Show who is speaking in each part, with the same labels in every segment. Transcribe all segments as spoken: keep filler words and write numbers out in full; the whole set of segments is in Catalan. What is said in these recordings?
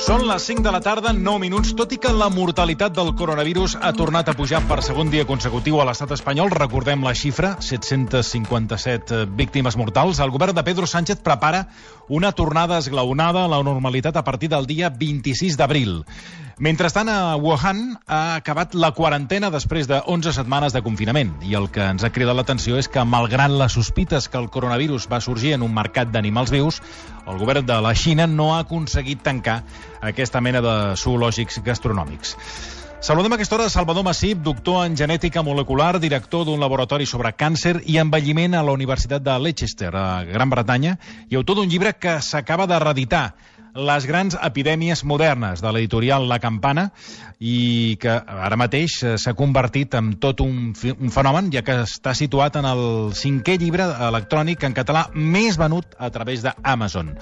Speaker 1: Són les cinc de la tarda, nou minuts. Tot i que la mortalitat del coronavirus ha tornat a pujar per segon dia consecutiu a l'estat espanyol, recordem la xifra, set-cents cinquanta-set víctimes mortals, el govern de Pedro Sánchez prepara una tornada esglaonada a la normalitat a partir del dia vint-i-sis d'abril. Mentrestant, a Wuhan ha acabat la quarantena després de onze setmanes de confinament. I el que ens ha cridat l'atenció és que, malgrat les sospites que el coronavirus va sorgir en un mercat d'animals vius, el govern de la Xina no ha aconseguit tancar aquesta mena de zoològics gastronòmics. Saludem a aquesta hora Salvador Massip, doctor en genètica molecular, director d'un laboratori sobre càncer i envelliment a la Universitat de Leicester, a Gran Bretanya, i autor d'un llibre que s'acaba de reeditar, Les grans epidèmies modernes, de l'editorial La Campana, i que ara mateix s'ha convertit en tot un, un fenomen, ja que està situat en el cinquè llibre electrònic en català més venut a través d'Amazon.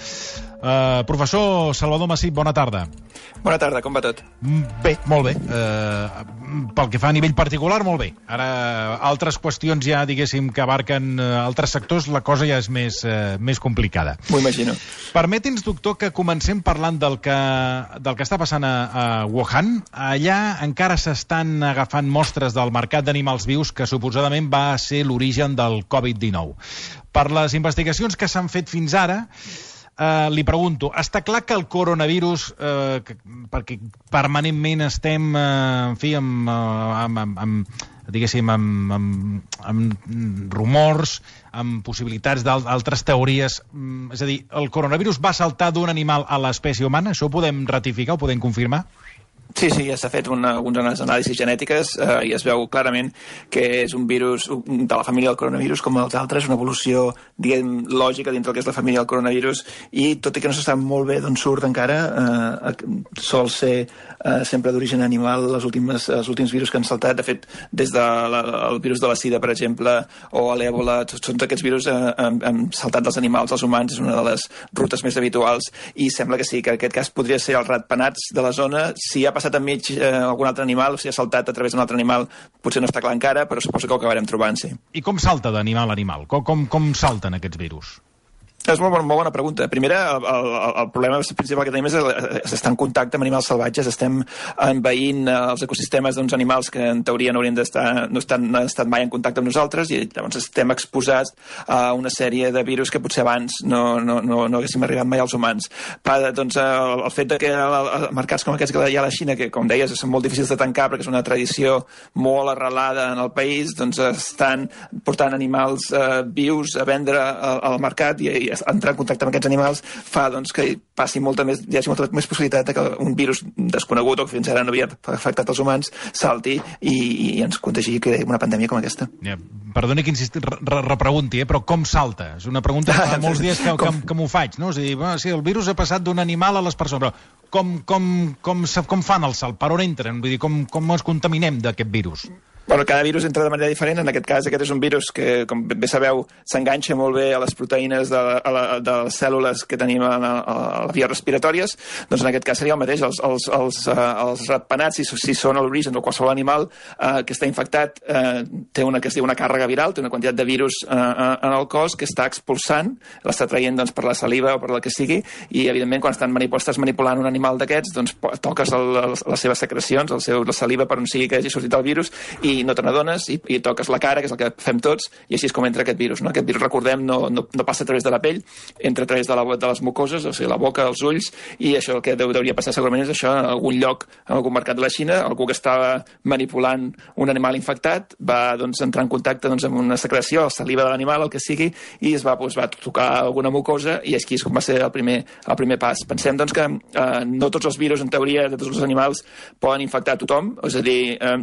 Speaker 1: Uh, professor Salvador Massip, bona tarda.
Speaker 2: Bona tarda, com va tot?
Speaker 1: Bé, molt bé. Uh, pel que fa a nivell particular, molt bé. Ara, altres qüestions ja, diguéssim, que abarquen uh, altres sectors, la cosa ja és més, uh, més complicada.
Speaker 2: M'ho imagino.
Speaker 1: Permeti'ns, doctor, que comencem parlant del que, del que està passant a, a Wuhan. Allà encara s'estan agafant mostres del mercat d'animals vius que suposadament va ser l'origen del covid dinou. Per les investigacions que s'han fet fins ara, Uh, li pregunto, està clar que el coronavirus, uh, que, perquè permanentment estem, uh, en fi, amb, uh, amb, amb, amb, diguéssim, amb, amb, amb rumors, amb possibilitats d'altres teories, um, és a dir, el coronavirus va saltar d'un animal a l'espècie humana? Això ho podem ratificar, ho podem confirmar?
Speaker 2: Sí, sí, ja s'ha fet una, unes anàlisis genètiques eh, i es veu clarament que és un virus de la família del coronavirus com els altres, una evolució, diguem, lògica dintre del que és la família del coronavirus, i tot i que no se sap molt bé d'on surt encara, eh, sol ser eh, sempre d'origen animal les últimes, els últims virus que han saltat. De fet, des del de virus de la sida, per exemple, o l'èbola, tots aquests virus eh, han, han saltat dels animals als humans, és una de les rutes més habituals, i sembla que sí, que en aquest cas podria ser els ratpenats de la zona. Si ha passat enmig eh, algun altre animal, o si ha saltat a través d'un altre animal, potser no està clar encara, però suposo que ho acabarem trobant, sí.
Speaker 1: I com salta d'animal a animal? Com, com, com salten aquests virus?
Speaker 2: És molt, molt bona pregunta. Primera, el, el, el problema principal que tenim és estar en contacte amb animals salvatges, estem envaint els ecosistemes d'uns animals que en teoria no haurien d'estar, no estan, no han estat mai en contacte amb nosaltres, i llavors estem exposats a una sèrie de virus que potser abans no, no, no, no haguéssim arribat mai als humans. Pa, doncs, el, el fet de que el, mercats com aquests que hi ha a la Xina, que com deies són molt difícils de tancar perquè és una tradició molt arrelada en el país, doncs estan portant animals eh, vius a vendre al, al mercat, i, i entrar en contacte amb aquests animals fa doncs, que passi molta més, hi hagi molta més possibilitat de que un virus desconegut o que fins ara no havia afectat els humans salti i, i ens contagi que una pandèmia com aquesta.
Speaker 1: Ja, perdoni que insistir, re repregunti, eh, però com salta? És una pregunta que fa molts dies que, que, que m'ho faig, no? És a dir, bueno, sí, el virus ha passat d'un animal a les persones, però com, com, com, com fan el salt? Per on entren? Vull dir, com, com ens contaminem d'aquest virus?
Speaker 2: Bueno, cada virus entra de manera diferent. En aquest cas, aquest és un virus que, com bé sabeu, s'enganxa molt bé a les proteïnes de, a la, de les cèl·lules que tenim a, a, a les vies respiratòries. Doncs en aquest cas seria el mateix. Els, els, els, uh, els ratpenats, si, si són a l'origen de qualsevol animal uh, que està infectat, uh, té una que es diu una càrrega viral, té una quantitat de virus uh, en el cos que està expulsant, l'està traient doncs, per la saliva o per la que sigui, i evidentment quan estan manipul estàs manipulant un animal d'aquests, doncs toques el, el, les seves secrecions, el seu, la saliva per on sigui que hagi sortit el virus, i i no te n'adones, i, i toques la cara, que és el que fem tots, i així és com entra aquest virus. No? Aquest virus, recordem, no, no, no passa a través de la pell, entra a través de, la, de les mucoses, o sigui, la boca, els ulls, i això el que deu, hauria passar segurament és això en algun lloc, en algun mercat de la Xina, algú que estava manipulant un animal infectat, va doncs, entrar en contacte doncs, amb una secreció, la saliva de l'animal, el que sigui, i es va, doncs, va tocar alguna mucosa, i així és com va ser el primer, el primer pas. Pensem doncs, que eh, no tots els virus, en teoria, de tots els animals, poden infectar a tothom, és a dir, eh,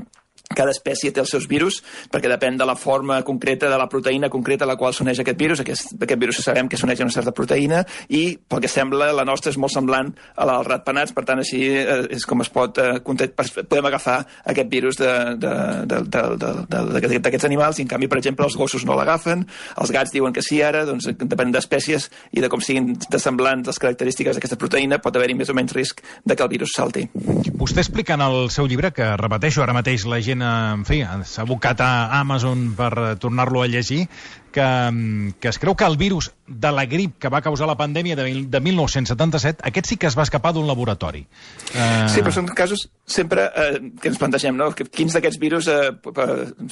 Speaker 2: cada espècie té els seus virus, perquè depèn de la forma concreta, de la proteïna concreta a la qual s'uneix aquest virus. Aquest, aquest virus sabem que s'uneix a una certa proteïna, i pel que sembla la nostra és molt semblant a la dels ratpenats, per tant així eh, és com es pot eh, podem agafar aquest virus d'aquests animals, i en canvi, per exemple, els gossos no l'agafen, els gats diuen que sí ara, doncs depèn d'espècies i de com siguin de semblants les característiques d'aquesta proteïna, pot haver-hi més o menys risc de que el virus salti.
Speaker 1: Vostè explica en el seu llibre, que repeteixo, ara mateix la gent en fi, s'ha abocat a Amazon per tornar-lo a llegir, que, que es creu que el virus de la grip que va causar la pandèmia de, de mil nou-cents setanta-set, aquest sí que es va escapar d'un laboratori. Uh...
Speaker 2: Sí, però són casos sempre eh, que ens plantegem, no? Quins d'aquests virus eh,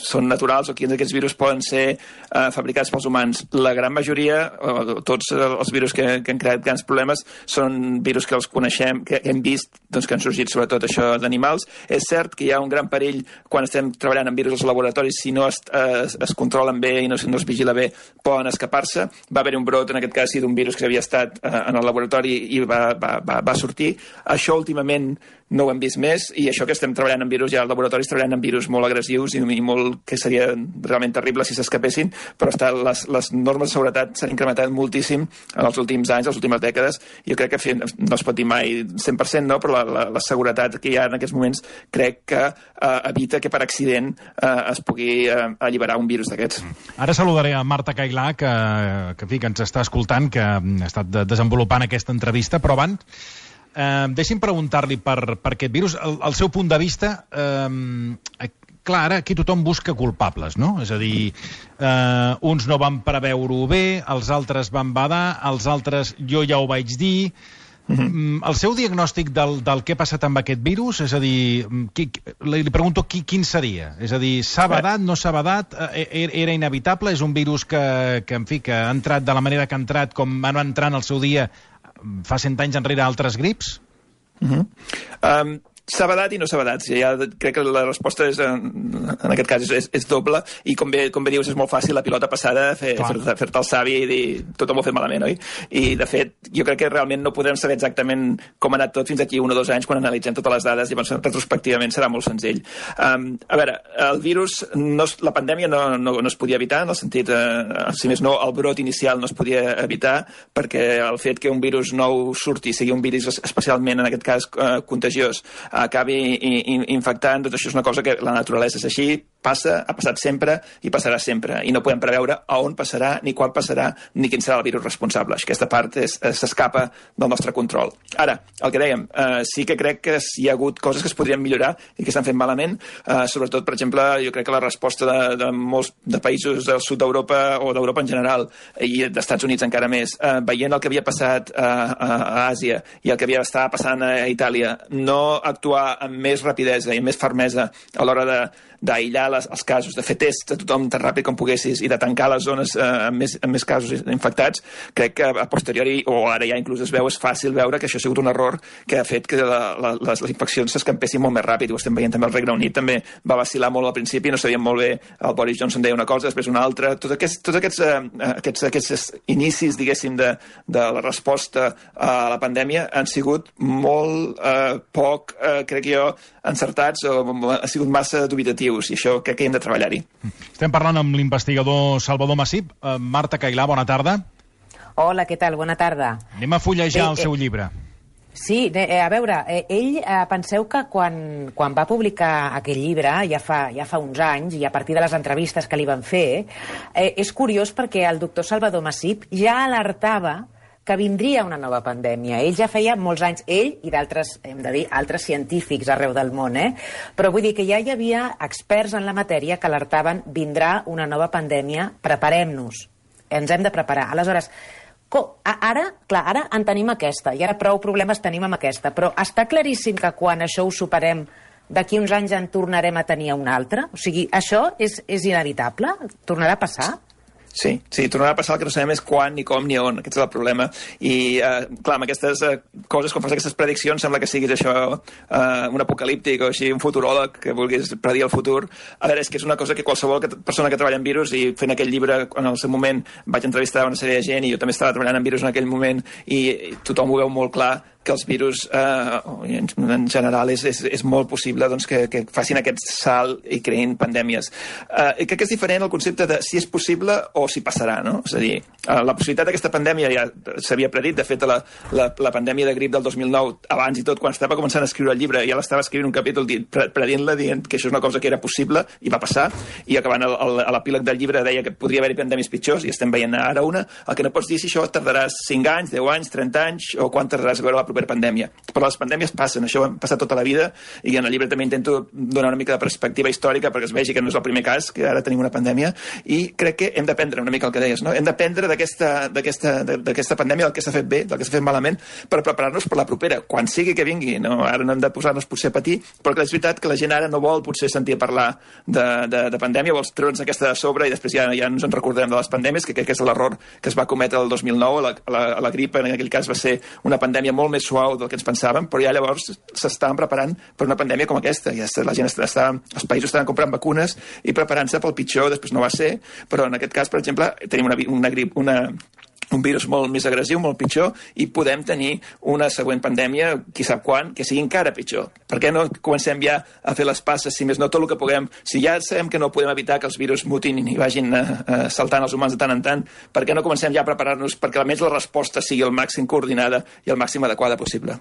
Speaker 2: són naturals o quins d'aquests virus poden ser eh, fabricats pels humans. La gran majoria, eh, tots els virus que, que han creat grans problemes, són virus que els coneixem, que hem vist, doncs, que han sorgit sobretot això d'animals. És cert que hi ha un gran perill quan estem treballant amb virus als laboratoris, si no es, es, es controlen bé i no, no es vigila bé, poden escapar-se. Va haver un brot, en aquest cas, sí, d'un virus que havia estat eh, en el laboratori i va, va, va, va sortir. Això últimament no ho hem vist més, i això que estem treballant en virus, ja als laboratoris treballant en virus molt agressius i, i molt que seria realment terrible si s'escapessin, però està, les, les normes de seguretat s'han incrementat moltíssim en els últims anys, les últimes dècades, i jo crec que no es pot dir mai cent per cent, no? Però la, la, la seguretat que hi ha en aquests moments crec que eh, evita que per accident eh, es pugui eh, alliberar un virus d'aquests.
Speaker 1: Ara saludaré a Marta Cailà, que, que, que, que ens està escoltant, que ha estat desenvolupant aquesta entrevista, però abans Eh, deixi'm preguntar-li per, per aquest virus, el, el seu punt de vista. Eh, clar, ara aquí tothom busca culpables, no? És a dir, eh, uns no van preveure-ho bé, els altres van badar, els altres jo ja ho vaig dir. Mm-hmm. El seu diagnòstic del, del que ha passat amb aquest virus, és a dir, qui, li pregunto qui, quin seria? És a dir, s'ha badat, no s'ha badat, era inevitable, és un virus que, que, en fi, que ha entrat de la manera que ha entrat, com va entrar en el seu dia fa cent anys enrere altres grips?
Speaker 2: Uh-huh. um, S'ha badat i no s'ha badat. Ja crec que la resposta és, en aquest cas és, és doble, i com bé, com bé dius, és molt fàcil la pilota passada fer, fer-te fer el savi i dir tot ho hem fet malament, oi? I de fet, jo crec que realment no podrem saber exactament com ha anat tot fins aquí un o dos anys quan analitzem totes les dades, llavors retrospectivament serà molt senzill. Um, a veure, el virus, no, la pandèmia no, no, no es podia evitar, en el sentit, eh, si més no, el brot inicial no es podia evitar, perquè el fet que un virus nou surti, sigui un virus especialment, en aquest cas, eh, contagiós, acabi infectant, doncs això és una cosa que la naturalesa és així, passa, ha passat sempre i passarà sempre, i no podem preveure a on passarà, ni quan passarà, ni quin serà el virus responsable. Aquesta part s'escapa del nostre control. Ara, el que dèiem, eh, sí que crec que hi ha hagut coses que es podrien millorar i que s'han fet malament, eh, sobretot, per exemple, jo crec que la resposta de, de molts de països del sud d'Europa o d'Europa en general, i d'Estats Units encara més, eh, veient el que havia passat a, a, a Àsia i el que havia estat passant a Itàlia, no actuar amb més rapidesa i amb més fermesa a l'hora de d'aïllar les, els casos, de fer tests a tothom tan ràpid com poguessis i de tancar les zones eh, amb, més, amb més casos infectats, crec que a posteriori, o ara ja inclús es veu, és fàcil veure que això ha sigut un error que ha fet que la, la, les, les infeccions s'escampessin molt més ràpid. Ho estem veient també al Regne Unit, també va vacil·lar molt al principi, no sabíem molt bé, el Boris Johnson deia una cosa, després una altra, tots aquests, tots aquests, eh, aquests, aquests inicis, diguéssim, de, de la resposta a la pandèmia han sigut molt eh, poc, eh, crec jo, encertats, o ha sigut massa dubitatiu, i això crec que hem de treballar-hi.
Speaker 1: Estem parlant amb l'investigador Salvador Massip. Uh, Marta Cailà, bona tarda.
Speaker 3: Hola, què tal? Bona tarda.
Speaker 1: Anem a fullejar
Speaker 3: eh,
Speaker 1: el seu
Speaker 3: eh,
Speaker 1: llibre.
Speaker 3: Sí, eh, a veure, eh, ell, eh, penseu que quan, quan va publicar aquest llibre, ja fa, ja fa uns anys, i a partir de les entrevistes que li van fer, eh, és curiós perquè el doctor Salvador Massip ja alertava que vindria una nova pandèmia. Ell ja feia molts anys, ell i d'altres, hem de dir, altres científics arreu del món, eh? Però vull dir que ja hi havia experts en la matèria que alertaven vindrà una nova pandèmia, preparem-nos, ens hem de preparar. Aleshores, ara, clar, ara en tenim aquesta, i ara prou problemes tenim amb aquesta, però està claríssim que quan això ho superem, d'aquí uns anys en tornarem a tenir un altre? O sigui, això és, és inevitable? Tornarà a passar?
Speaker 2: Sí, sí, tornarà a passar, el que no sabem és quan, ni com, ni on. Aquest és el problema. I, eh, clar, amb aquestes eh, coses, quan fas aquestes prediccions, sembla que siguis això, eh, un apocalíptic o així, un futuròleg que vulguis predir el futur. A veure, és que és una cosa que qualsevol que, persona que treballa en virus, i fent aquell llibre, en el seu moment vaig entrevistar una sèrie de gent, i jo també estava treballant en virus en aquell moment, i, i tothom ho veu molt clar, que els virus, eh, en, en general, és, és, és molt possible doncs, que, que facin aquest salt i creïn pandèmies. Eh, crec que és diferent el concepte de si és possible o si passarà, no? És a dir, eh, la possibilitat d'aquesta pandèmia ja s'havia predit. De fet, la, la, la pandèmia de grip del dos mil nou, abans i tot, quan estava començant a escriure el llibre, ja l'estava escrivint un capítol predient-la, dient que això és una cosa que era possible, i va passar, i acabant el, el, a l'epíleg del llibre deia que podria haver-hi pandèmies pitjors, i estem veient ara una. El que no pots dir si això tardarà cinc anys, deu anys, trenta anys, o quan tardaràs a veure la propera superpandèmia. Però les pandèmies passen, això ha passat tota la vida, i en el llibre també intento donar una mica de perspectiva històrica perquè es vegi que no és el primer cas, que ara tenim una pandèmia, i crec que hem d'aprendre una mica el que deies, no? Hem d'aprendre d'aquesta pandèmia, del que s'ha fet bé, del que s'ha fet malament, per preparar-nos per la propera, quan sigui que vingui, no? Ara no hem de posar-nos potser a patir, però que és veritat que la gent ara no vol potser sentir parlar de, de, de pandèmia, vols treure'ns aquesta de sobre i després ja, ja ens en recordem de les pandèmies, que crec que és l'error que es va cometre el dos mil nou, la, la, la grip en aquell cas va ser una pandèmia molt més suau del que ens pensàvem, però ja llavors s'estaven preparant per una pandèmia com aquesta, ja la gent està, està, els països estaven comprant vacunes i preparant-se pel pitjor, després no va ser, però en aquest cas, per exemple, tenim una, una grip, una un virus molt més agressiu, molt pitjor, i podem tenir una següent pandèmia, qui sap quan, que sigui encara pitjor. Per què no comencem ja a fer les passes, si més no tot el que puguem? Si ja sabem que no podem evitar que els virus mutin i vagin uh, uh, saltant els humans de tant en tant, per què no comencem ja a preparar-nos perquè almenys la resposta sigui el màxim coordinada i el màxim adequada possible?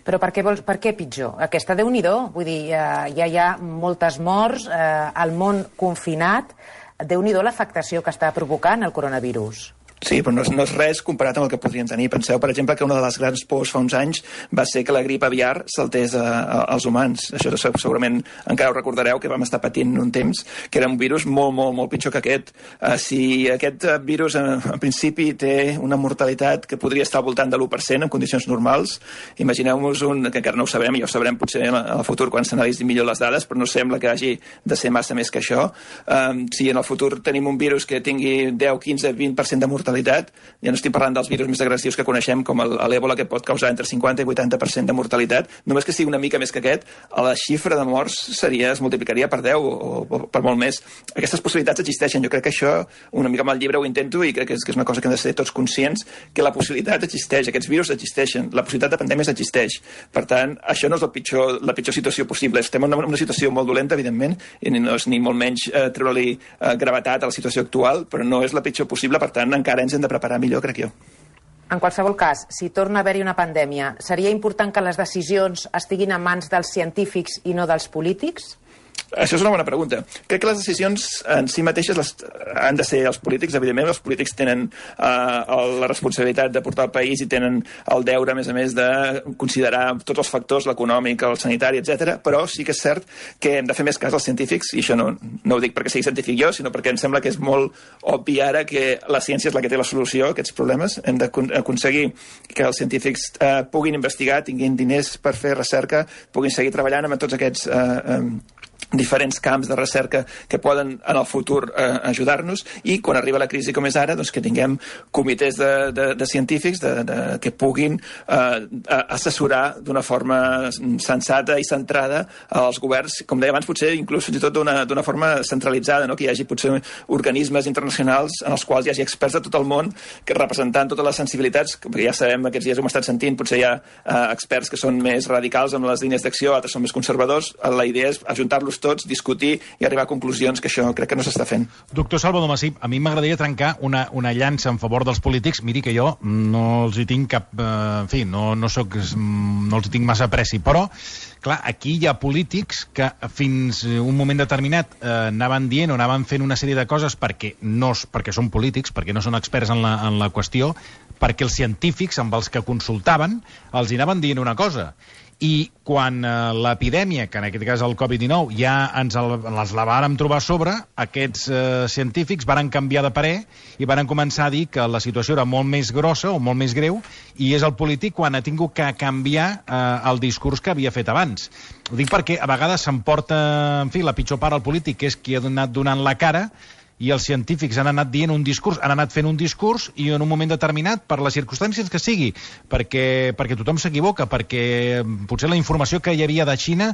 Speaker 3: Però per què, vols, per què pitjor? Aquesta, Déu-n'hi-do, vull dir, uh, ja hi ha moltes morts, uh, el món confinat, Déu-n'hi-do l'afectació que està provocant el coronavirus.
Speaker 2: Sí, però no és, no és res comparat amb el que podrien tenir. Penseu, per exemple, que una de les grans pors fa uns anys va ser que la grip aviar saltés a, a, als humans. Això segurament encara ho recordareu, que vam estar patint un temps, que era un virus molt, molt, molt pitjor que aquest. Uh, si aquest virus, en, en principi, té una mortalitat que podria estar al voltant de l'u per cent en condicions normals, imagineu-vos un, que encara no ho sabem, i ja ho sabrem potser en el futur quan s'analitzin millor les dades, però no sembla que hagi de ser massa més que això. Uh, si en el futur tenim un virus que tingui deu, quinze, vint per cent de mortalitat, ja no estic parlant dels virus més agressius que coneixem, com l'èbola, que pot causar entre cinquanta i vuitanta per cent de mortalitat, només que sigui una mica més que aquest, la xifra de morts seria, es multiplicaria per deu o, o per molt més. Aquestes possibilitats existeixen. Jo crec que això, una mica amb el llibre ho intento, i crec que és, que és una cosa que hem de ser tots conscients, que la possibilitat existeix, aquests virus existeixen, la possibilitat de pandèmies existeix. Per tant, això no és el pitjor, la pitjor situació possible. Estem en una, una situació molt dolenta, evidentment, i no és ni molt menys eh, treure-li eh, gravetat a la situació actual, però no és la pitjor possible, per tant, encara ens hem de preparar millor, crec jo.
Speaker 3: En qualsevol cas, si torna a haver-hi una pandèmia, seria important que les decisions estiguin en mans dels científics i no dels polítics?
Speaker 2: Això és una bona pregunta. Crec que les decisions en si mateixes les, han de ser els polítics, evidentment. Els polítics tenen uh, la responsabilitat de portar el país i tenen el deure, a més a més, de considerar tots els factors, l'econòmic, el sanitari, etcètera. Però sí que és cert que hem de fer més cas als científics, i això no, no ho dic perquè sigui científic jo, sinó perquè em sembla que és molt obvi ara que la ciència és la que té la solució a aquests problemes. Hem d'aconseguir que els científics uh, puguin investigar, tinguin diners per fer recerca, puguin seguir treballant amb tots aquests Uh, um, diferents camps de recerca que poden en el futur eh, ajudar-nos, i quan arriba la crisi com és ara, doncs que tinguem comitès de, de, de científics de, de, que puguin eh, assessorar d'una forma sensata i centrada als governs, com deia abans, potser inclús fins i tot d'una forma centralitzada, no? Que hi hagi potser organismes internacionals en els quals hi hagi experts de tot el món que representant totes les sensibilitats, perquè ja sabem, aquests dies ho hem estat sentint, potser hi ha eh, experts que són més radicals amb les línies d'acció, altres són més conservadors. La idea és ajuntar-los tots, discutir i arribar a conclusions, que això crec que no s'està fent.
Speaker 1: Doctor Salvador Masip, a mi m'agradaria trencar una, una llança en favor dels polítics. Miri que jo no els hi tinc cap... Eh, en fi, no, no, soc, no els hi tinc massa apreci, però, clar, aquí hi ha polítics que fins un moment determinat eh, anaven dient o anaven fent una sèrie de coses perquè, no, perquè són polítics, perquè no són experts en la, en la qüestió, perquè els científics amb els que consultaven els hi anaven dient una cosa. I quan eh, l'epidèmia, que en aquest cas el covid dinou, ja ens el, les la vàrem trobar a sobre, aquests eh, científics varen canviar de parer i varen començar a dir que la situació era molt més grossa o molt més greu, i és el polític quan ha tingut que canviar eh, el discurs que havia fet abans. Ho dic perquè a vegades s'emporta, en fi, la pitjor part al polític, que és qui ha anat donant la cara, i els científics han anat dient un discurs, han anat fent un discurs, i en un moment determinat, per les circumstàncies que sigui, perquè, perquè tothom s'equivoca, perquè potser la informació que hi havia de Xina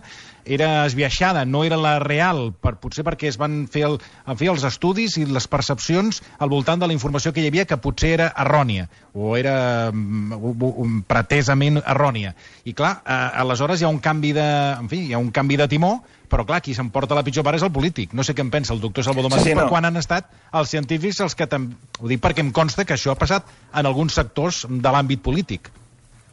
Speaker 1: era esbiaixada, no era la real, per, potser perquè es van fer, el, en fer els estudis i les percepcions al voltant de la informació que hi havia, que potser era errònia, o era um, pretesament errònia. I clar, eh, aleshores hi ha un canvi de, en fi, hi ha un canvi de timó, però clar, qui s'emporta la pitjor part és el polític. No sé què en pensa el doctor Salvador Masip, sí, sí, no. Quan han estat els científics els que... Ho dic perquè em consta que això ha passat en alguns sectors de l'àmbit polític.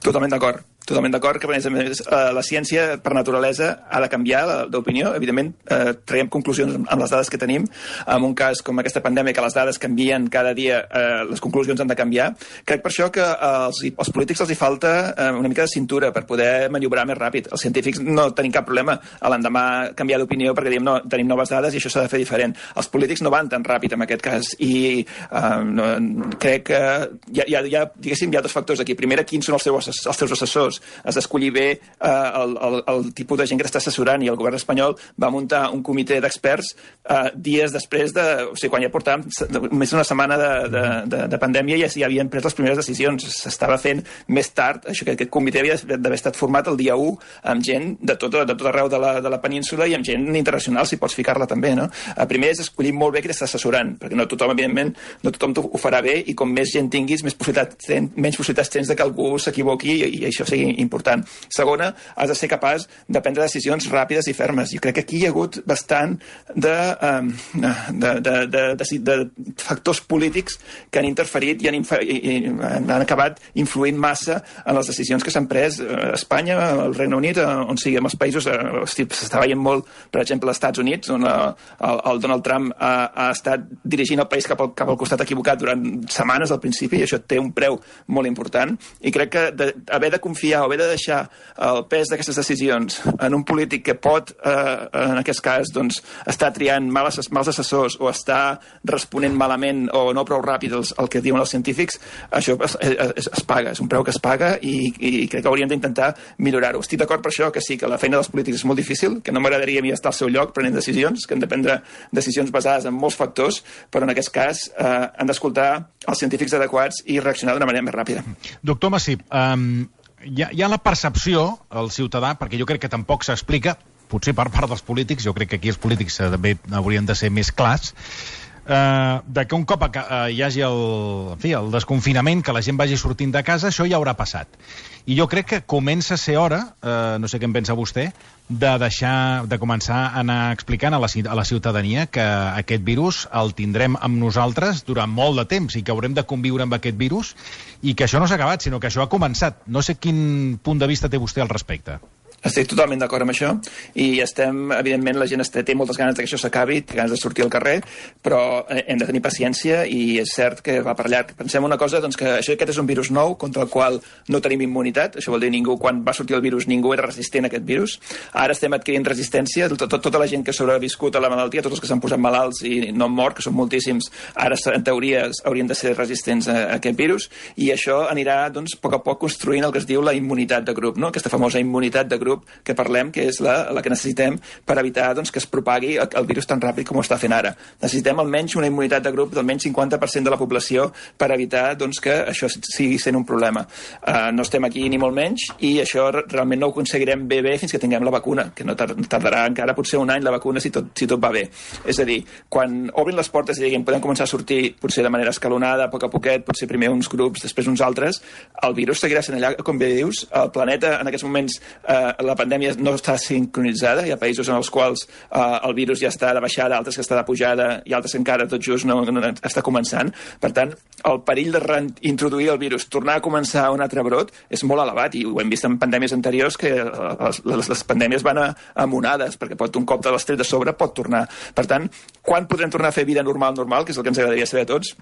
Speaker 2: Totalment d'acord. Totalment d'acord que, a més a més, la ciència, per naturalesa, ha de canviar d'opinió. Evidentment, eh, traiem conclusions amb les dades que tenim. En un cas com aquesta pandèmia, que les dades canvien cada dia, eh, les conclusions han de canviar. Crec per això que als, als polítics els hi falta eh, una mica de cintura per poder maniobrar més ràpid. Els científics no tenim cap problema a l'endemà canviar d'opinió perquè diem no, tenim noves dades i això s'ha de fer diferent. Els polítics no van tan ràpid en aquest cas i eh, no, crec que hi ha, hi ha, hi ha, diguéssim, hi ha dos factors aquí. Primera, quins són els seus, els seus assessors? Has d'escollir bé eh, el, el, el tipus de gent que t'està assessorant i el govern espanyol va muntar un comitè d'experts eh, dies després de... O sigui, quan ja portàvem més d'una setmana de, de, de, de pandèmia ja s'hi havien pres les primeres decisions. S'estava fent més tard. Això, que aquest comitè havia d'haver estat format el dia u amb gent de tot, de tot arreu de la, de la península i amb gent internacional, si pots ficar-la també, no? El primer és escollir molt bé qui t'està assessorant, perquè no tothom, evidentment, no tothom ho farà bé i com més gent tinguis, més possibilitats tens, menys possibilitats tens de que algú s'equivoqui i, i això sigui important. Segona, has de ser capaç de prendre decisions ràpides i fermes. Jo crec que aquí hi ha hagut bastant de, de, de, de, de, de factors polítics que han interferit i han, infer, i, i han acabat influint massa en les decisions que s'han pres a Espanya, al Regne Unit, on sigui, en els països, s'està veient molt, per exemple, als Estats Units, on el, el Donald Trump ha, ha estat dirigint el país cap al, cap al costat equivocat durant setmanes al principi, i això té un preu molt important, i crec que de, haver de confiar o haver de deixar el pes d'aquestes decisions en un polític que pot, eh, en aquest cas, doncs, estar triant mals, mals assessors o està responent malament o no prou ràpid el, el que diuen els científics, això es, es, es paga, és un preu que es paga i, i crec que hauríem d'intentar millorar-ho. Estic d'acord per això que sí, que la feina dels polítics és molt difícil, que no m'agradaria a mi estar al seu lloc prenent decisions, que han de prendre decisions basades en molts factors, però en aquest cas eh, han d'escoltar els científics adequats i reaccionar d'una manera més ràpida.
Speaker 1: Doctor Massip, um... Hi ha, hi ha la percepció, el ciutadà, perquè jo crec que tampoc s'explica, potser per part dels polítics, jo crec que aquí els polítics també haurien de ser més clars, eh, de que un cop eh, hi hagi el, en fi, el desconfinament, que la gent vagi sortint de casa, això ja haurà passat. I jo crec que comença a ser hora, eh, no sé què en pensa vostè, de deixar, de començar a anar explicant a la, a la ciutadania que aquest virus el tindrem amb nosaltres durant molt de temps i que haurem de conviure amb aquest virus i que això no s'ha acabat, sinó que això ha començat. No sé quin punt de vista té vostè al respecte.
Speaker 2: Estic totalment d'acord amb això i estem, evidentment, la gent té moltes ganes que això s'acabi, té ganes de sortir al carrer, però hem de tenir paciència i és cert que va per llarg. Pensem una cosa, doncs, que això, aquest és un virus nou contra el qual no tenim immunitat, això vol dir ningú, quan va sortir el virus ningú era resistent a aquest virus. Ara estem adquirint resistència, tot, tot, tota la gent que ha sobreviscut a la malaltia, tots els que s'han posat malalts i no han mort, que són moltíssims, ara en teoria haurien de ser resistents a, a aquest virus i això anirà, doncs, a poc a poc construint el que es diu la immunitat de grup, no? Aquesta famosa immunitat de grup que parlem, que és la, la que necessitem per evitar, doncs, que es propagui el, el virus tan ràpid com ho està fent ara. Necessitem almenys una immunitat de grup d'almenys cinquanta per cent de la població per evitar, doncs, que això sigui sent un problema. Uh, no estem aquí ni molt menys i això realment no ho aconseguirem bé bé fins que tinguem la vacuna, que no tardarà encara potser un any la vacuna si tot, si tot va bé. És a dir, quan obrin les portes i diguem podem començar a sortir potser de manera escalonada, a poc a poquet, potser primer uns grups, després uns altres, el virus seguirà sent allà, com bé dius, el planeta en aquests moments, uh, la pandèmia no està sincronitzada, hi ha països en els quals eh, el virus ja està de baixada, altres que està de pujada i altres que encara tot just no, no està començant. Per tant, el perill de reintroduir el virus, tornar a començar un altre brot, és molt elevat i ho hem vist en pandèmies anteriors que les, les, les pandèmies van a, a monades, perquè pot, un cop de l'estret de sobre pot tornar. Per tant, quan podrem tornar a fer vida normal, normal, que és el que ens agradaria saber a tots,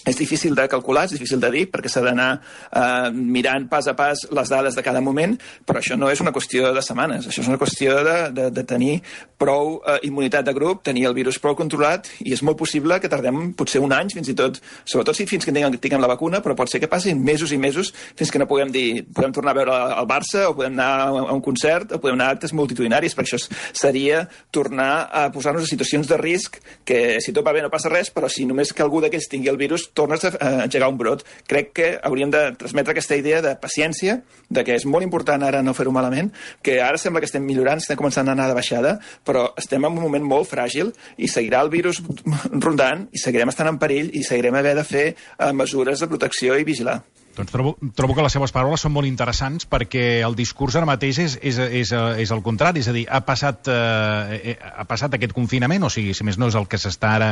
Speaker 2: és difícil de calcular, és difícil de dir, perquè s'ha d'anar eh, mirant pas a pas les dades de cada moment, però això no és una qüestió de setmanes, això és una qüestió de, de, de tenir prou eh, immunitat de grup, tenir el virus prou controlat, i és molt possible que tardem potser un any, fins i tot, sobretot si fins que tinguem, tinguem la vacuna, però pot ser que passin mesos i mesos fins que no puguem dir, podem tornar a veure el Barça, o podem anar a un concert, o podem anar a actes multitudinaris, perquè això seria tornar a posar-nos en situacions de risc, que si tot va bé no passa res, però si només que algú d'aquests tingui el virus, tornes a engegar un brot. Crec que hauríem de transmetre aquesta idea de paciència, de que és molt important ara no fer-ho malament, que ara sembla que estem millorant, estem començant a anar de baixada, però estem en un moment molt fràgil i seguirà el virus rondant i seguirem estant en perill i seguirem haver de fer uh, mesures de protecció i vigilar.
Speaker 1: Doncs trobo, trobo que les seves paraules són molt interessants perquè el discurs ara mateix és, és, és, és el contrari, és a dir, ha passat, eh, ha passat aquest confinament, o sigui, si més no és el que s'està ara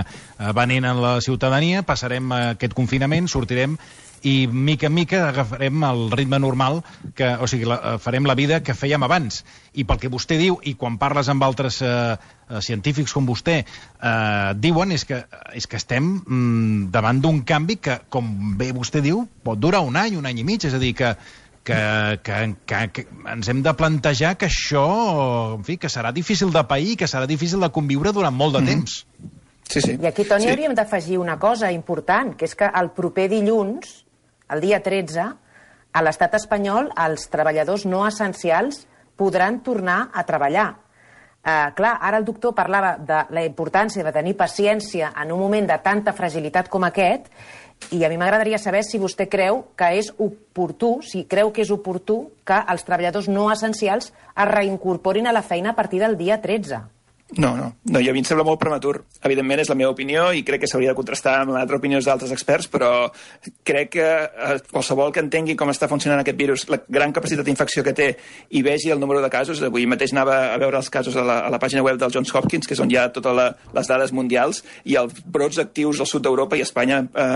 Speaker 1: venent en la ciutadania, passarem aquest confinament, sortirem i mica en mica agafarem el ritme normal, que, o sigui, la, farem la vida que fèiem abans. I pel que vostè diu, i quan parles amb altres eh, científics com vostè, eh, diuen és que, és que estem mm, davant d'un canvi que, com bé vostè diu, pot durar un any, un any i mig, és a dir, que Que, que, que, que ens hem de plantejar que això, en fi, que serà difícil de pair, que serà difícil de conviure durant molt de mm-hmm. temps.
Speaker 2: Sí, sí.
Speaker 3: I aquí, Toni,
Speaker 2: sí.
Speaker 3: hauríem d'afegir una cosa important, que és que el proper dilluns, el dia tretze, a l'estat espanyol, els treballadors no essencials podran tornar a treballar. Uh, clar, ara el doctor parlava de la importància de tenir paciència en un moment de tanta fragilitat com aquest, i a mi m'agradaria saber si vostè creu que és oportú, si creu que és oportú que els treballadors no essencials es reincorporin a la feina a partir del dia tretze.
Speaker 2: No, no, no, i a mi em sembla molt prematur. Evidentment és la meva opinió i crec que s'hauria de contrastar amb l'altra opinió d'altres experts, però crec que eh, qualsevol que entengui com està funcionant aquest virus, la gran capacitat d'infecció que té i vegi el número de casos, avui mateix anava a veure els casos a la, a la pàgina web del Johns Hopkins, que és on hi ha totes la, les dades mundials, i els brots actius al sud d'Europa i Espanya eh,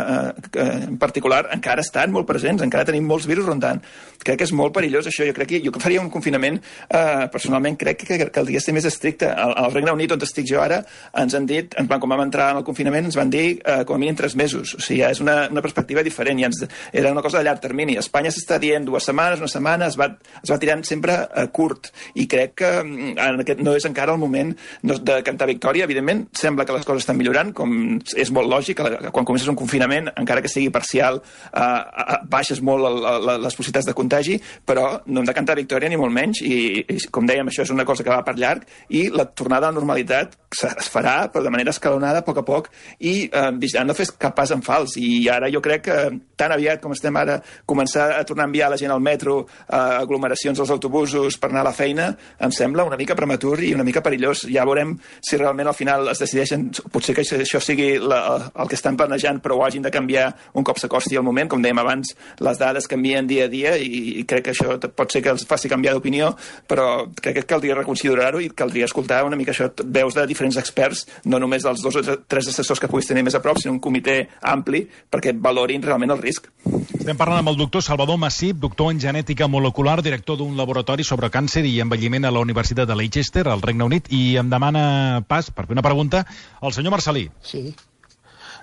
Speaker 2: eh, en particular encara estan molt presents, encara tenim molts virus rondant. Crec que és molt perillós això. Jo crec que jo faria un confinament, eh, personalment crec que, que caldria ser més estricte. Al, al Regne Unit, on estic jo ara, ens han dit, en plan, com vam entrar en el confinament, ens van dir eh, com a mínim tres mesos. O sigui, ja és una, una perspectiva diferent. I ens, era una cosa de llarg termini. A Espanya s'està dient dues setmanes, una setmana, es va, es va tirant sempre eh, curt. I crec que en aquest, no és encara el moment no, de cantar victòria. Evidentment, sembla que les coses estan millorant, com és molt lògic. Quan comences un confinament, encara que sigui parcial, eh, baixes molt el, el, les possibilitats de contagi, però no hem de cantar victòria ni molt menys. I, i com dèiem, això és una cosa que va per llarg, i la tornada a la normalitat es farà, però de manera escalonada, a poc a poc, i eh, no fes cap pas en fals. I ara jo crec que tan aviat com estem ara, començar a tornar a enviar la gent al metro, a aglomeracions als autobusos per anar a la feina, em sembla una mica prematur i una mica perillós. Ja veurem si realment al final es decideixen, potser que això sigui la, el que estan planejant, però ho hagin de canviar un cop s'acosti el moment. Com dèiem abans, les dades canvien dia a dia i, i crec que això pot ser que els faci canviar d'opinió, però crec que caldria reconsiderar-ho i caldria escoltar una mica això, veus de diferents experts, no només dels dos o tres assessors que puguis tenir més a prop, sinó un comitè ampli perquè valorin realment el risc.
Speaker 1: Estem parlant amb el doctor Salvador Massip, doctor en genètica molecular, director d'un laboratori sobre càncer i envelliment a la Universitat de Leicester, al Regne Unit, i em demana pas, per fer una pregunta, el senyor Marcelí.
Speaker 4: Sí.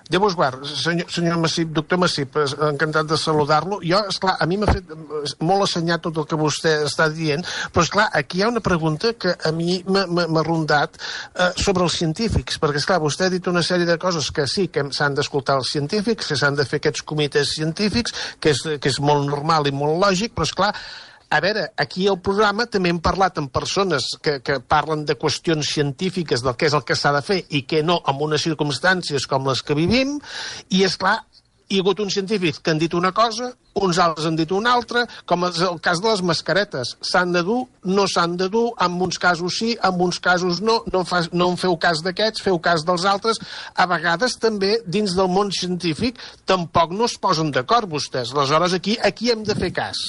Speaker 4: Déu vos guard, senyor, senyor Massip, doctor Massip, encantat de saludar-lo. Jo, esclar, a mi m'ha fet molt assenyat tot el que vostè està dient, però, esclar, aquí hi ha una pregunta que a mi m'ha rondat eh, sobre els científics, perquè, esclar, vostè ha dit una sèrie de coses que sí, que s'han d'escoltar els científics, que s'han de fer aquests comitès científics, que és, que és molt normal i molt lògic, però, esclar, a veure, aquí al programa també hem parlat amb persones que, que parlen de qüestions científiques del que és el que s'ha de fer i que no en unes circumstàncies com les que vivim, i és clar, hi ha hagut uns científics que han dit una cosa, uns altres han dit una altra, com és el cas de les mascaretes. S'han de dur, no s'han de dur, en uns casos sí, en uns casos no, no, fa, no en feu cas d'aquests, feu cas dels altres. A vegades també, dins del món científic, tampoc no es posen d'acord vostès. Aleshores, aquí, aquí hem de fer cas.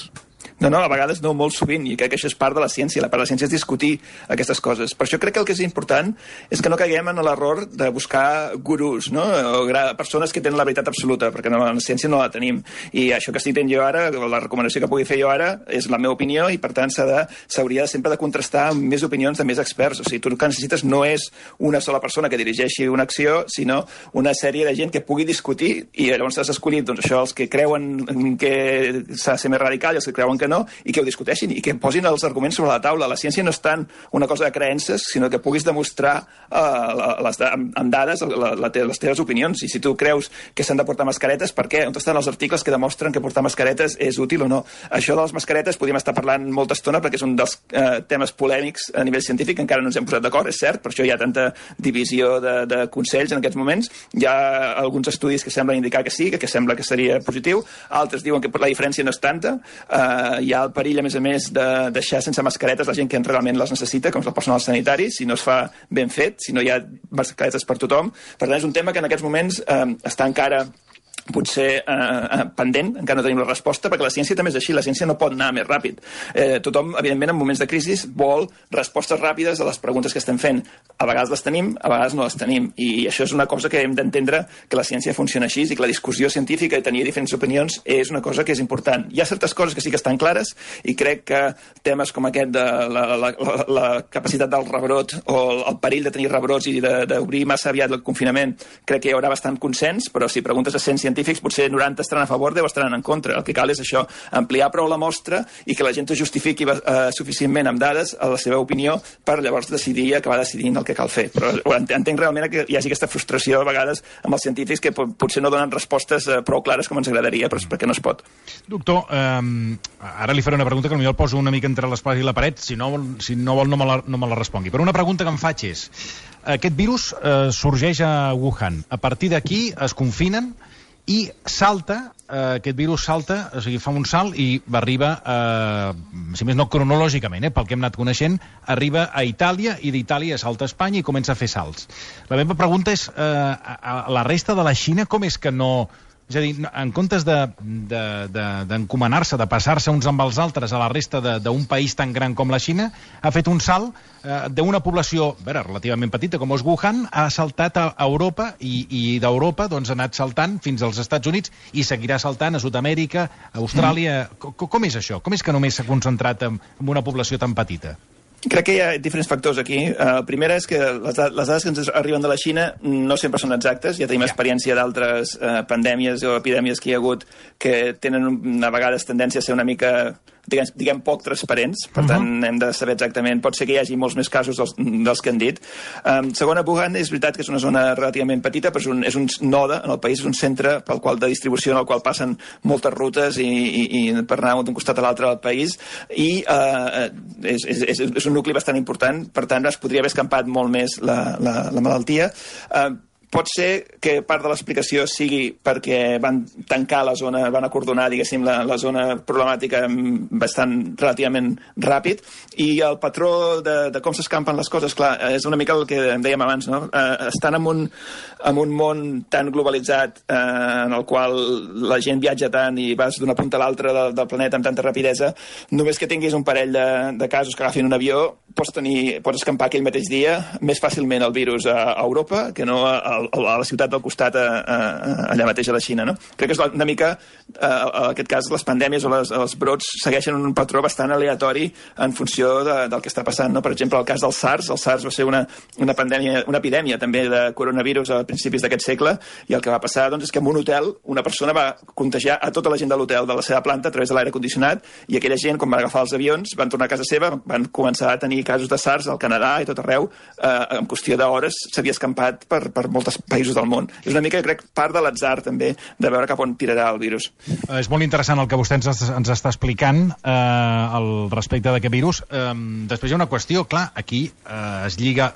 Speaker 2: No, no, a vegades no, molt sovint, i crec que això és part de la ciència. La part de la ciència és discutir aquestes coses. Per això crec que el que és important és que no caiguem en l'error de buscar gurús, no? O persones que tenen la veritat absoluta, perquè no, la ciència no la tenim. I això que estic dient jo ara, la recomanació que pugui fer jo ara, és la meva opinió, i per tant s'hauria sempre de contrastar amb més opinions de més experts. O sigui, tu el que necessites no és una sola persona que dirigeixi una acció, sinó una sèrie de gent que pugui discutir, i llavors has escollit, doncs, això, els que creuen que s'ha de ser més radical i els que creuen que no, i que ho discuteixin i que posin els arguments sobre la taula. La ciència no és tant una cosa de creences, sinó que puguis demostrar uh, les, amb dades la, la, les teves opinions. I si tu creus que s'han de portar mascaretes, per què? On estan els articles que demostren que portar mascaretes és útil o no? Això de les mascaretes podríem estar parlant molta estona perquè és un dels uh, temes polèmics a nivell científic, encara no ens hem posat d'acord, és cert, per això hi ha tanta divisió de, de consells en aquests moments. Hi ha alguns estudis que semblen indicar que sí, que, que sembla que seria positiu, altres diuen que la diferència no és tanta. Uh, hi ha el perill, a més a més, de deixar sense mascaretes la gent que realment les necessita, com és el personal sanitari, si no es fa ben fet, si no hi ha mascaretes per tothom. Per tant, és un tema que en aquests moments eh, està encara potser eh, pendent, encara no tenim la resposta, perquè la ciència també és així, la ciència no pot anar més ràpid. Eh, tothom, evidentment, en moments de crisi vol respostes ràpides a les preguntes que estem fent. A vegades les tenim, a vegades no les tenim, i això és una cosa que hem d'entendre, que la ciència funciona així i que la discussió científica i tenir diferents opinions és una cosa que és important. Hi ha certes coses que sí que estan clares i crec que temes com aquest de la, la, la, la capacitat del rebrot o el, el perill de tenir rebrots i d'obrir massa aviat el confinament, crec que hi haurà bastant consens, però si preguntes a cent científics, potser noranta estaran a favor, deu estaran en contra. El que cal és això, ampliar prou la mostra i que la gent es justifiqui eh, suficientment amb dades a la seva opinió per llavors decidir i acabar decidint el que cal fer. Però entenc realment que hi hagi aquesta frustració a vegades amb els científics que potser no donen respostes eh, prou clares com ens agradaria, però és perquè no es pot.
Speaker 1: Doctor, eh, ara li faré una pregunta que potser el poso una mica entre l'espasa i la paret, si no, si no vol no me, la, no me la respongui. Però una pregunta que em faig és, aquest virus eh, sorgeix a Wuhan. A partir d'aquí es confinen i salta, eh, aquest virus salta, o sigui, fa un salt i arriba, eh, si més no cronològicament, eh, pel que hem anat coneixent, arriba a Itàlia i d'Itàlia salta a Espanya i comença a fer salts. La meva pregunta és, eh, a, a la resta de la Xina com és que no... És a dir, en comptes d'encomanar-se, de, de, de passar-se uns amb els altres a la resta d'un país tan gran com la Xina, ha fet un salt eh, d'una població a veure, relativament petita com és Wuhan, ha saltat a Europa i, i d'Europa doncs, ha anat saltant fins als Estats Units i seguirà saltant a Sud-amèrica, a Austràlia... Mm. Com, com és això? Com és que només s'ha concentrat en, en una població tan petita?
Speaker 2: Crec que hi ha diferents factors aquí. El primer és que les, les dades que ens arriben de la Xina no sempre són exactes. Ja tenim yeah. experiència d'altres eh, pandèmies o epidèmies que hi ha hagut que tenen a vegades tendència a ser una mica... Diguem, diguem poc transparents, per uh -huh. tant hem de saber exactament, pot ser que hi hagi molts més casos dels, dels que han dit. Um, segona, Wuhan és veritat que és una zona relativament petita, però és un, és un node en el país, és un centre pel qual de distribució en el qual passen moltes rutes i, i, i per anar d'un costat a l'altre del país, i uh, és, és, és un nucli bastant important, per tant es podria haver escampat molt més la, la, la malaltia. Uh, Pot ser que part de l'explicació sigui perquè van tancar la zona, van acordonar, diguéssim, la, la zona problemàtica bastant relativament ràpid, i el patró de, de com s'escampen les coses, clar, és una mica el que em dèiem abans, no? Eh, estan en un, en un món tan globalitzat eh, en el qual la gent viatja tant i vas d'una punta a l'altra del, del planeta amb tanta rapidesa, només que tinguis un parell de, de casos que agafin un avió, pots, tenir, pots escampar aquell mateix dia més fàcilment el virus a, a Europa que no a, a, a la ciutat del costat a, a, a, allà mateix a la Xina, no? Crec que és una mica, eh, en aquest cas, les pandèmies o les, els brots segueixen un patró bastant aleatori en funció de, del que està passant, no? Per exemple, el cas del SARS, el SARS va ser una, una pandèmia, una epidèmia també de coronavirus a principis d'aquest segle, i el que va passar doncs, és que en un hotel una persona va contagiar a tota la gent de l'hotel de la seva planta a través de l'aire condicionat, i aquella gent, quan van agafar els avions, van tornar a casa seva, van començar a tenir casos de SARS al Canadà i tot arreu, eh, en qüestió d'hores s'havia escampat per, per molts països del món. És una mica, crec, part de l'atzar també de veure cap on tirarà el virus.
Speaker 1: Eh, és molt interessant el que vostè ens, ens està explicant eh, al respecte d'aquest virus. Eh, després hi ha una qüestió, clar, aquí eh, es lliga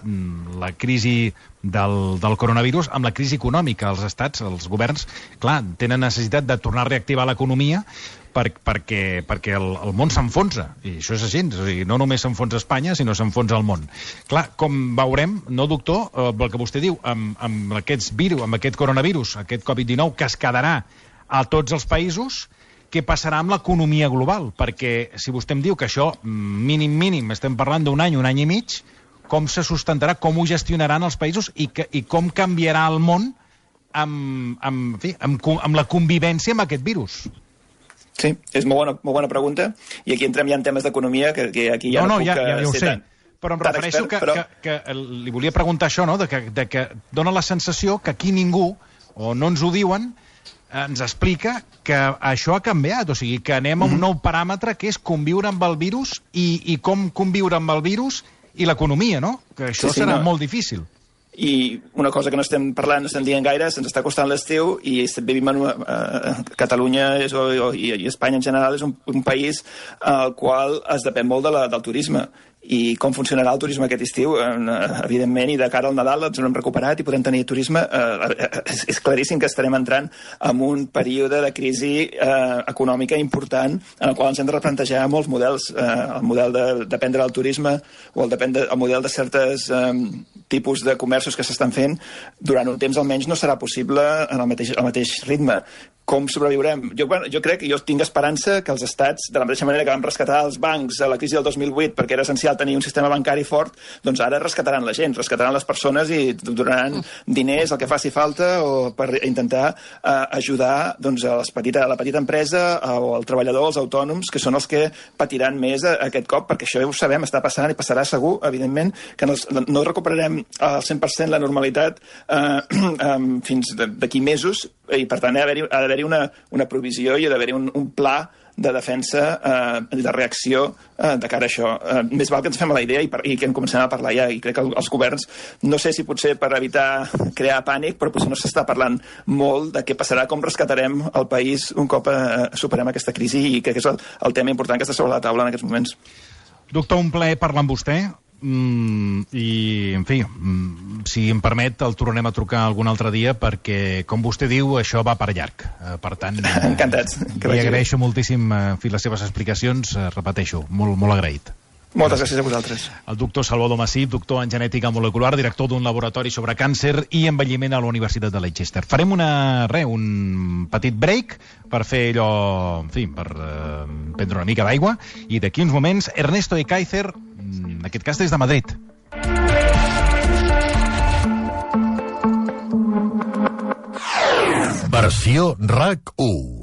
Speaker 1: la crisi del, del coronavirus amb la crisi econòmica. Els estats, els governs, clar, tenen necessitat de tornar a reactivar l'economia per, perquè, perquè el, el món s'enfonsa, i això és així, o sigui, no només s'enfonsa Espanya, sinó s'enfonsa el món. Clar, com veurem, no, doctor, eh, el que vostè diu, amb, amb aquests virus, amb aquest coronavirus, aquest covid dinou, que es quedarà a tots els països, què passarà amb l'economia global? Perquè si vostè em diu que això, mínim, mínim, estem parlant d'un any, un any i mig, com se sustentarà, com ho gestionaran els països i, que, i com canviarà el món amb, amb, en fi, amb, amb la convivència amb aquest virus?
Speaker 2: Sí, és molt bona, molt bona pregunta, i aquí entrem ja en temes d'economia, que, que aquí ja
Speaker 1: no,
Speaker 2: no,
Speaker 1: no
Speaker 2: puc
Speaker 1: ja, ja, ja ho
Speaker 2: ser
Speaker 1: sé.
Speaker 2: tan,
Speaker 1: però em
Speaker 2: tan
Speaker 1: refereixo
Speaker 2: expert,
Speaker 1: que,
Speaker 2: però...
Speaker 1: que, que li volia preguntar això, no? de, que, de que dona la sensació que aquí ningú, o no ens ho diuen, ens explica que això ha canviat, o sigui, que anem a un nou paràmetre que és conviure amb el virus i, i com conviure amb el virus i l'economia, no? Que això sí, sí, serà no. molt difícil.
Speaker 2: I una cosa que no estem parlant, no estem dient gaire, se'ns està costant l'estiu i vivim en una, uh, Catalunya és, o, o, i, i Espanya en general és un, un país al qual es depèn molt de la, del turisme, i com funcionarà el turisme aquest estiu, evidentment, i de cara al Nadal ens hem recuperat i podem tenir turisme. És, és claríssim que estarem entrant en un període de crisi eh, econòmica important en el qual ens hem de replantejar molts models. Eh, el model de dependre del turisme o el, dependre, el model de certes eh, tipus de comerços que s'estan fent durant un temps almenys no serà possible en el mateix, el mateix ritme. Com sobreviurem? Jo, bueno, jo crec, jo tinc esperança que els estats, de la mateixa manera que vam rescatar els bancs a la crisi del dos mil vuit perquè era essencial tenir un sistema bancari fort, doncs ara rescataran la gent, rescataran les persones i donaran diners, el que faci falta, o per intentar eh, ajudar doncs, a, les petita, a la petita empresa o al treballador, als autònoms, que són els que patiran més a, a aquest cop, perquè això ja ho sabem, està passant i passarà segur, evidentment, que no, no recuperarem al cent per cent la normalitat eh, eh, fins d'aquí mesos, i per tant ha d'haver-hi ha d'haver una, una provisió i ha d'haver-hi un, un pla de defensa, eh, de reacció eh, de cara a això. Eh, més val que ens fem a la idea i, per, i que en comencem a parlar ja, i crec que els governs, no sé si potser per evitar crear pànic, però potser no s'està parlant molt de què passarà, com rescatarem el país un cop eh, superem aquesta crisi, i crec que és el, el tema important que està sobre la taula en aquests moments.
Speaker 1: Doctor, un plaer parlar amb vostè. Mm, i, en fi, mm, si em permet, el tornarem a trucar algun altre dia perquè, com vostè diu, això va per llarg. Eh, per tant, eh,
Speaker 2: encantats.
Speaker 1: Li agraeixo moltíssim eh, en fi, les seves explicacions, eh, repeteixo, molt, molt agraït.
Speaker 2: Moltes gràcies a vosaltres.
Speaker 1: El doctor Salvador Massip, doctor en genètica molecular, director d'un laboratori sobre càncer i envelliment a la Universitat de Leicester. Farem una, re, un petit break per fer allò, en fi, per eh, prendre una mica d'aigua, i d'aquí uns moments, Ernesto Ekaizer, en aquest cas des de Madrid.
Speaker 5: Versió R A C u.